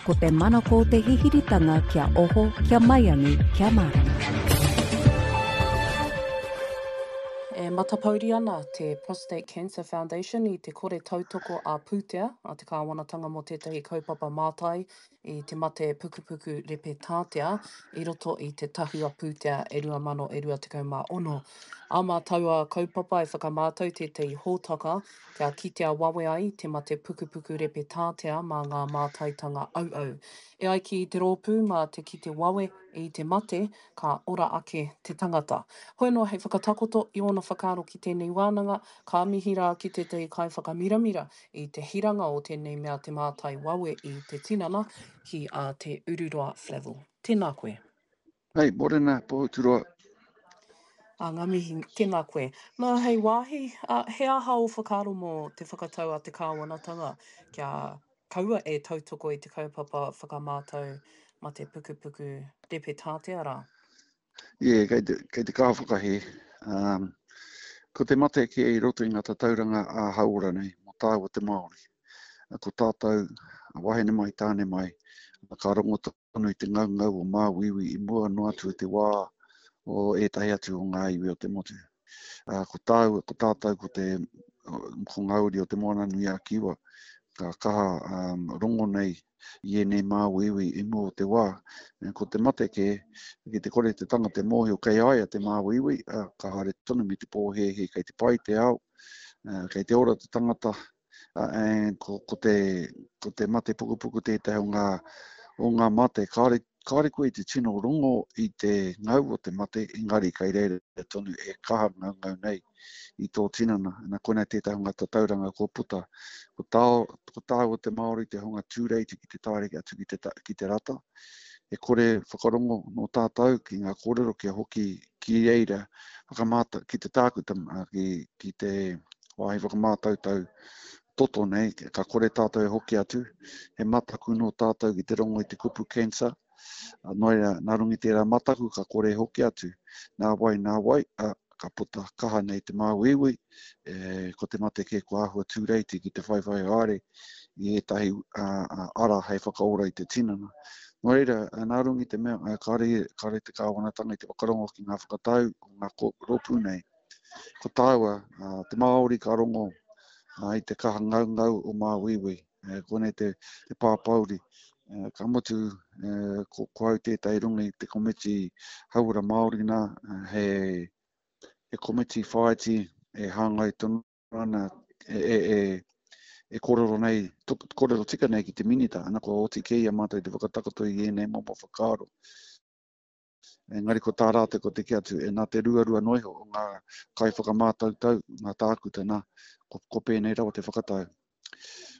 Ko te manako o te hihiritanga kia oho, kia maiangi, kia mārama. E matapouri ana te Prostate Cancer Foundation i te kore tautoko ā-pūtea a te kāwanatanga mō tētahi kaupapa mātai i te mate pukupuku repe tātea i roto i te tahua pūtea e 2026. Ā mā taua kaupapa e whakamātau tētahi hōtaka kia kitea wawe ai te mate pukupuku repe tātea mā ngā mātaitanga auau. E ai ki te rōpū mā te kite wawe i te mate ka ora ake te tangata. Hoi anō hei whakatakoto i ōna whakaaro ki tēnei wānanga, ka mihi rā ki tētahi kaiwhakamiramira i te hiranga o tēnei mea te mātai wawe i te tinana, ki a Te Ururoa Flavell. Tēnā koe. Hei, morena, Pohuturoa. Ā, ngā mihi, tēnā koe. Nā, hei wāhi, ā, he aha ō whakaaro mō te whakatau a te kāwanatanga kia kaua e tautoko i te kaupapa whakamātau mate pukupuku repe tātea rā? Ie, kei te, kei te kaha whakahē. Um, ko te mate kē i roto i ngā tatauranga ā-hauora nei, mō tāua te Māori. Ko tātou, wahine mai, tāne mai, ka rongo tonu i te ngaungau o māuiui i mua noa atu i te wā o ētahi atu o ngā iwi o te motu. Ā, ko tāua, ko tātou, ko te, ko ngā uri o Te Moananui-a-Kiwa, ka kaha um, rongo nei i ēnei māuiui i mua o te wā. Ko te mate kē, ki te kore te tangata e mōhio kei a ia te māuiui, ā, ka haere tonu me te pōhēhē kei te pai te ao, ā, kei te ora te tangata, and ko, ko, te, ko te mate pukupuku tētahi o ngā, o ngā mate. Kāore, kāore koe i te tino rongo i te ngau o te mate, engari kei reira tonu e kaha ngaungau nei i tō tinana. Na, koinei tētahi o ngā tatauranga kua puta. Ko, tā, ko tāua te Māori te hunga tūreiti ki te taere atu ki te, ki te rata. E kore whakarongo nō tātou ki ngā kōrero kia hoki ki reira whakamātau, ki te tākuta, ki, ki te wāhi whakamātautau toto nei, ka kore tātou e hoki atu, he mataku nō tātou ki te rongo i te kupu cancer, nō reira, nā runga i tērā mataku ka kore e hoki atu, nā wai, nā wai, ā, ka puta kaha nei te māuiui, e, ko te mate kē kua āhua tūreiti ki te whaiwhai haere i ētahi ara hei whakaora i te tinana. Nō reira, nā runga i te mea, kāre, kāre te kāwanatanga i te whakarongo ki ngā whakatau o ngā rōpū nei, Ko tāua, te Māori ka rongo i te kaha ngaungau o māuiui. Koinei te, te pāpōuri. Ka mutu, ko, ko au tētahi runga i te komiti hauora Māori nā, he, he komiti whāiti e hāngai tonu ana, e, e, e, e kōrero nei, kōrero tika nei ki te minita, ana kua oti kē i a mātou te whakatakoto i ēnei momo whakaaro. Engari ko tā rātou ko te kī atu, e nā te ruarua noa iho o ngā kaiwhakamātautau, ngā tākuta, nā, ko, ko pēnei rawa te whakatau.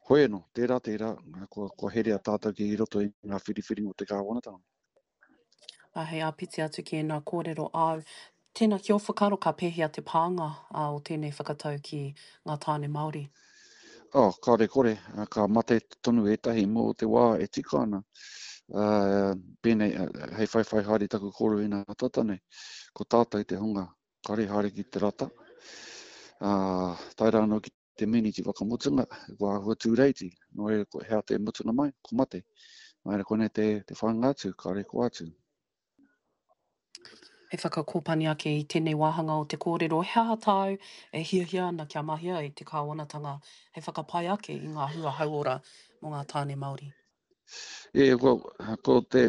Hoi anō, tērā, tērā, kua, kua herea tātou ki roto i ngā whiriwhiringa o te kāwanatanga. Ā, hei āpiti atu ki ēnā kōrero āu, tēnā ki ō whakaaro ka pēhea te pānga o tēnei whakatau ki ngā tāne Māori? Oh, kāore kore, ka mate tonu ētahi mō te wā e tika ana. Uh, pēnei, hei whaiwhai haere taku kōrero inā tata nei, ko tātou te hunga kāore haere ki te rata, uh, tae rā anō ki te miniti whakamutunga, kua āhua tūreiti, nō reira, ko hea te mutunga mai, ko mate. Nō reira, koinei te, te whāinga atu, kāore ko atu. Hei whakakōpani ake i tēnei wāhanga o te kōrero, he aha tāu e hiahia ana kia mahia e te kāwanatanga hei whakapai ake i ngā hua hauora mō ngā tāne Māori? E, ko, ko te,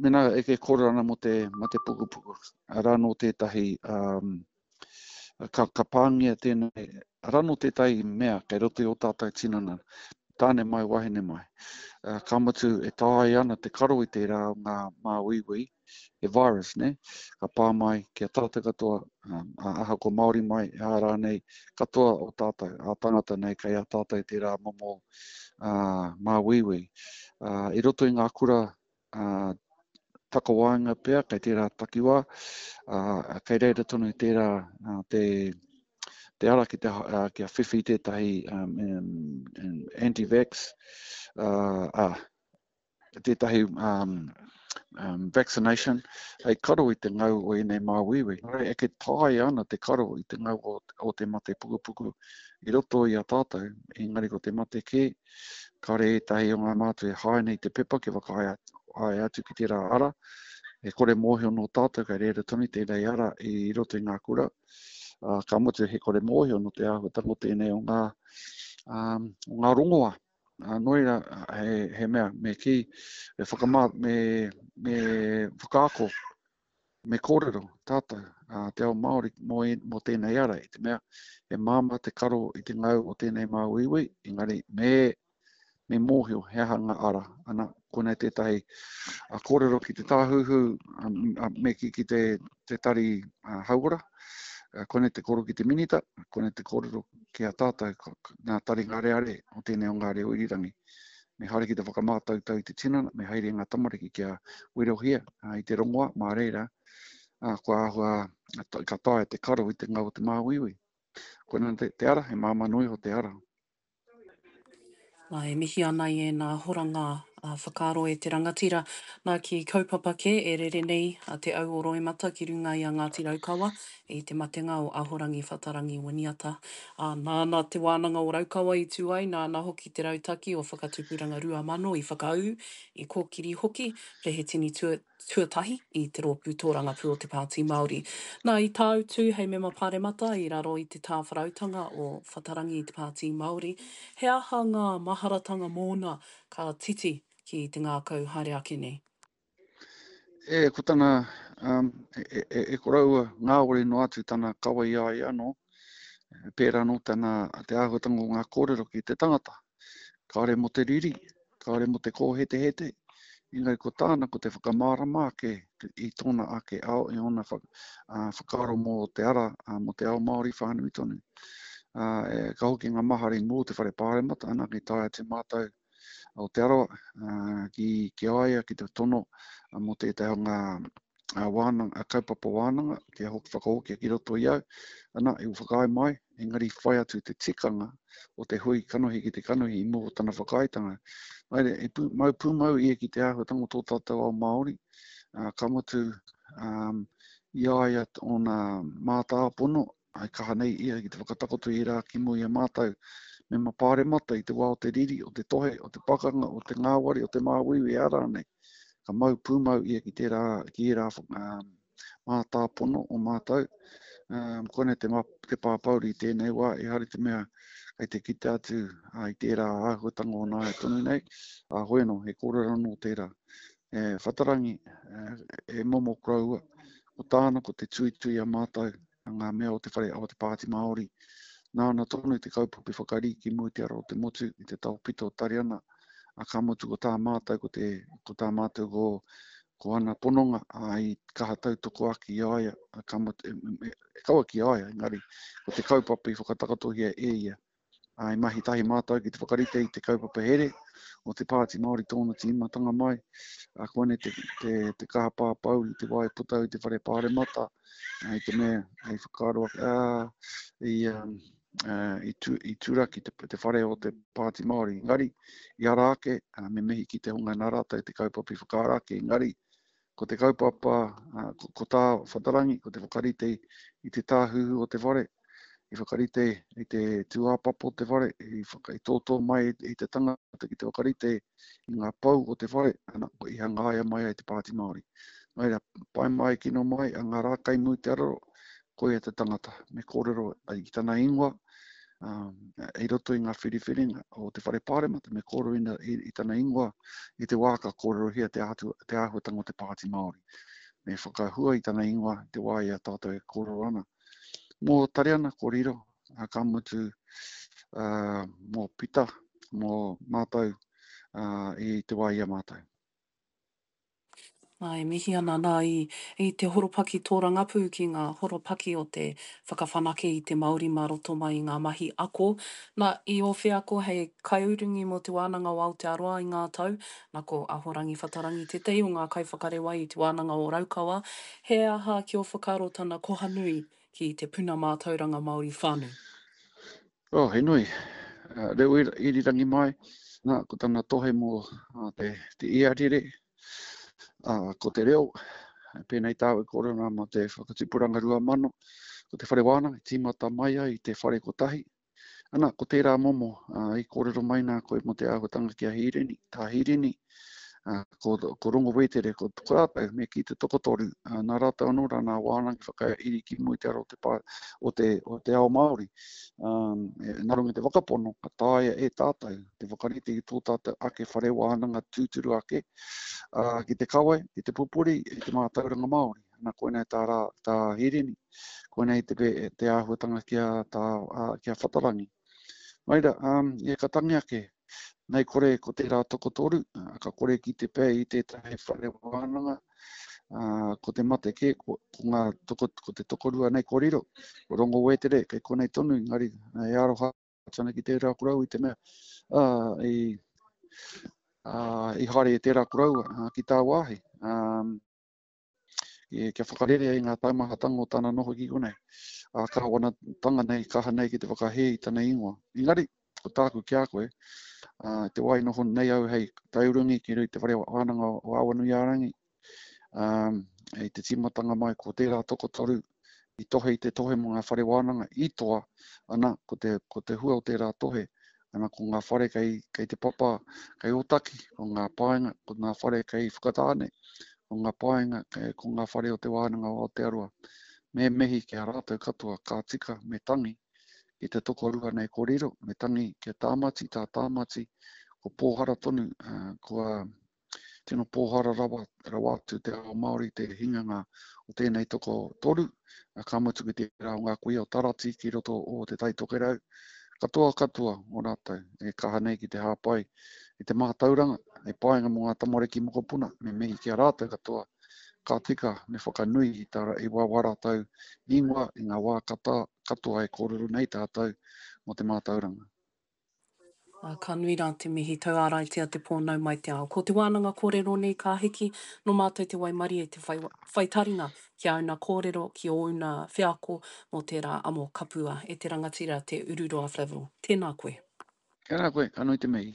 mena e ke kōrero ana mō te mate pukupuku, arā nō tētahi um, ka, ka pāngia tēnei, arā nō tētahi mea kei roto i ō tātou tinana, tāne mai, wahine mai. Ka mutu e taea ana te karo i tērā o ngā māuiui, he virus, ne? Ka pā mai ki a tātou katoa, ahakoa Māori mai, ā rānei, katoa o tātou, ā tangata nei, kei a tātou tērā momo māuiui. I roto i ngā kura ā, takawaenga pea kei tērā takiwā, ā, kei reira tonu tērā te, te ara ki te, kia whiwhi tētahi um, um, anti-vax, ā, ā, tētahi um, um, vaccination, hei karo i te ngau o ēnei māuiui. Nō reira, eke taea ana te karo i te ngau o, o te mate pukupuku i roto i a tātou, engari ko te mate kē, kāre ētahi o ngā mātua e haina i te pepa kia whakaae atu ki tērā ara, e kore mōhio nō tātou kei reira tonu tēnei ara i roto i ngā kura, ā, ka mutu he kore mōhio nō te āhuatanga o tēnei o ngā, um, o ngā rongoa. Ā, nō reira, he, he mea, me kī, me whakamā, me, me whakaako, me kōrero tātou, ā, te ao Māori mō, mō tēnei ara, i te mea, he māmā te karo i te ngau o tēnei māuiui, engari me, me mōhio he aha ngā ara. Ana, konei tētahi a kōrero ki te tāhuhu, a, a, me kī ki te, te tari a, hauora, konei te kōrero ki te minita, konei te kōrero ki a tātou, ngā tari ngareare o tēnei o ngā reo irirangi. Me haere ki te whakamātautau i te tinana, me haere ngā tamariki kia werohia i te rongoa, mā reira, kua āhua, ka taea te karo i te ngau o te māuiui. Koinā te, te ara, he māmā noa iho te ara. Nā, e mihi ana i ēnā horanga whakaaro e te rangatira. Nā, ki kaupapa kē e rere nei a Te Au o Roimata ki runga i a Ngāti Raukawa i te matenga o Ahorangi Whatarangi Winiata. Ā, nāna Te Wānanga o Raukawa i tū ai, nāna hoki te rautaki o Whakatupuranga 2000 i whakaū, i kōkiri hoki, Perehetini tua, tuatahi i te Rōpū Tōrangapū o te Pāti Māori. Nā, i tāutu hei mema pāremata i raro i te tāwharautanga o Whatarangi i te Pāti Māori, he aha ngā maharatanga mōna ka titi ki te ngākau haere ake nei? E, ko tana, um, e, e, e, e koroua ngāwari noa atu tana kawa i a ia anō, pērā anō tana, te āhuatanga o ngā kōrero ki te tangata. Kāore mō te riri, kāore mō te kōhetehete, engari ko tāna ko te whakamārama ake i tōna ake ao, i ōna whakaaro mō te ara, mō te ao Māori whānui tonu. E, ka hoki ngā mahara i mua o te whare pāremata, ana, ki tae atu mātou o Te Arawa ki, ki a ia, ki te tono mō tētahi o ngā wānanga, kaupapa wānanga, kia hoki whakahokia ki roto i au. Ana, i whakaae mai, engari whai atu te tikanga o te hui kanohi ki te kanohi i mua o tana whakaaetanga. Haere, e pū, mau pūmau ia ki te āhuatanga o tō tātou ao Māori, ka mutu um, i a ia ōna mātāpono, I kaha nei ia ki te whakatakoto i ērā ki mua i a mātou mema pāremata i te wā o te riri, o te tohe, o te pakanga, o te ngāwari, o te māuiui, ā rānei. Ka mau pūmau ia ki tērā, ki ērā mātāpono o mātou. Um, koinei te, te pāpauri i tēnei wā, ehara i te mea kei te kite atu i tērā āhuatanga o nāia tonu nei, ā, hoi anō, he kōrero anō tērā. E Whatarangi, e, e momo koroua, ko tāna ko te tuitui a mātou, ngā mea o te whare o te Pāti Māori. Nāna tonu te kaupapa i whakarī ki mua i te ara o te motu, i te taopito o Tariana, a ka mutu ko tā mātou, ko, te, ko tā mātou ko, ko ana pononga, a, i kaha tautoko ake i a ia, a, ka mutu, e, e, e kaua ki a ia, engari ko te kaupapa i whakatakatohia e ia. Ā, i mahi tahi mātou ki te whakarite i te kaupapa here o te Pāti Māori tōna tīmatanga mai. Ā, koinei te, te, te kaha pāpau i te wā i puta au i te whare pāremata, i te mea i whakaaro ake, ā, i, um, i, tu, i turaki te, te whare o te Pāti Māori. Engari, i ara ake, ā, me mihi ki te hunga nā rātou te kaupapa i whakaara ake, engari, ko te kaupapa, ko, ko tā Whatarangi, ko te whakarite i te tāhuhu o te whare, i whakarite i te tūāpapa o te whare, i, whaka, i tōtō mai i te tangata ki te whakarite i ngā pou o te whare, ana, i hangaia mai ai te Pāti Māori. Nō reira, pai mai, kino mai, a ngā rā kai mū te araro, koia te tangata, me kōrero i tana ingoa, um, i roto i ngā whiriwhiringa o te whare pāremata, me kōrero ina, i, i tana ingoa i te wā ka kōrerohia te, ātu, te āhuatanga o te Pāti Māori. Me whakahua i tana ingoa i te wā i a tātou e kōrero ana. Mō Tariana ko riro, ka mutu mō Pita, mō mātou i te wā i a mātou. Nā, e mihi ana nā i, i te horopaki tōrangapū ki ngā horopaki o te whakawhanake i te Māori mā roto mai i ngā mahi ako. Nā, i ō wheako hei kaiurungi mō Te Wānanga o Aotearoa i ngā tau, nā ko Ahorangi Whatarangi tētahi o ngā kaiwhakarewa i Te Wānanga o Raukawa, He aha ki ō whakaaro tana koha nui ki te puna mātauranga Māori whānui? Oh, he nui. Reo irirangi mai, nā, ko tana tohe mō te, te iarere. Ā, ko te reo, pēnei tāu e kōrero ana mō te whakatupuranga 2000, ko te whare wānanga i tīmata mai ai i te whare kotahi. Ana, ko tērā momo, ā, i kōrero mai nā koe mō te āhuatanga ki a Hīrini, tā Hīrini, ā, ko, ko Rongo Wētere, ko, ko rātou, me kī te tokotoru, ā, nā rātou anō rā nā wānanga i whakairi ki mua i te ara o te pā, o te, o te ao Māori. Ā, nā runga i te whakapono, ka taea e tātou te whakarite i tō tātou ake whare wānanga tūturu ake, ā, ki te kawe, ki te pupuri i te mātauranga Māori. Ana, koinei tā rā, tā Hirini, koinei te, te āhuatanga ki a, tā, ā, ki a Whatarangi. Nō reira, ā, e ka tangi ake, nei kore ko tērā tokotoru, ā, ka kore ki te pē i tētahi whare wānanga, ā, ko te mate kē, ko, ko ngā toko, ko te tokorua nei ko riro, ko Rongo Wētere, kei konei tonu, engari, e aroha atu ana ki tērā koroua i te mea, ā, i, ā, i haere e tērā koroua ā, ki tāwāhi, ā, e, kia whakarerea i ngā taumahatanga o tana noho ki konei. Ā, kāwanatanga nei, kaha nei ki te whakahē i tana ingoa. Engari, ko tāku ki a koe, ā, te wā i noho nei au hei taiurungi ki te whare wānanga o Awanuiārangi, Ā, i te tīmatanga mai ko tērā tokotoru i tohe i te tohe mō ngā whare wānanga i toa, ana, ko te, ko te hua o tērā tohe, ana, ko ngā whare kei, kei te papa, kei Ōtaki, ko ngā paenga, ko ngā whare kei Whakatāne, ko ngā paenga, ko ngā whare o Te Wānanga o Aotearoa. Me mihi ki a rātou katoa, ka tika, me tangi ki te tokorua nei ko riro, me tangi ki a Tāmati, tā Tāmati, ko pōhara tonu, kua, Tino pōhara rawa, rawa atu te ao Māori te hinganga o tēnei tokotoru, ka mutu ki tērā o ngā kuia o Tarati ki roto o Te Tai Tokerau. Katoa katoa o rātou e kaha nei ki te hāpai i te mātauranga, hei painga mō ngā tamariki mokopuna, me mihi ki a rātou katoa, ka tika me whakanui i tā, i wā wā rātou ingoa i ngā wā kata, katoa e kōrero nei tātou mō te mātauranga. Ā, ka nui rā te mihi tauāraitia te pō nau mai te ao. Ko te wānanga kōrero nei ka hiki, nō mātou te waimarie te whai, whai taringa ki āuna kōrero, ki ōuna wheako mō tērā amo kapua e te rangatira te Ururoa Flavell. Tēnā koe. Tēnā koe, ka nui te mihi.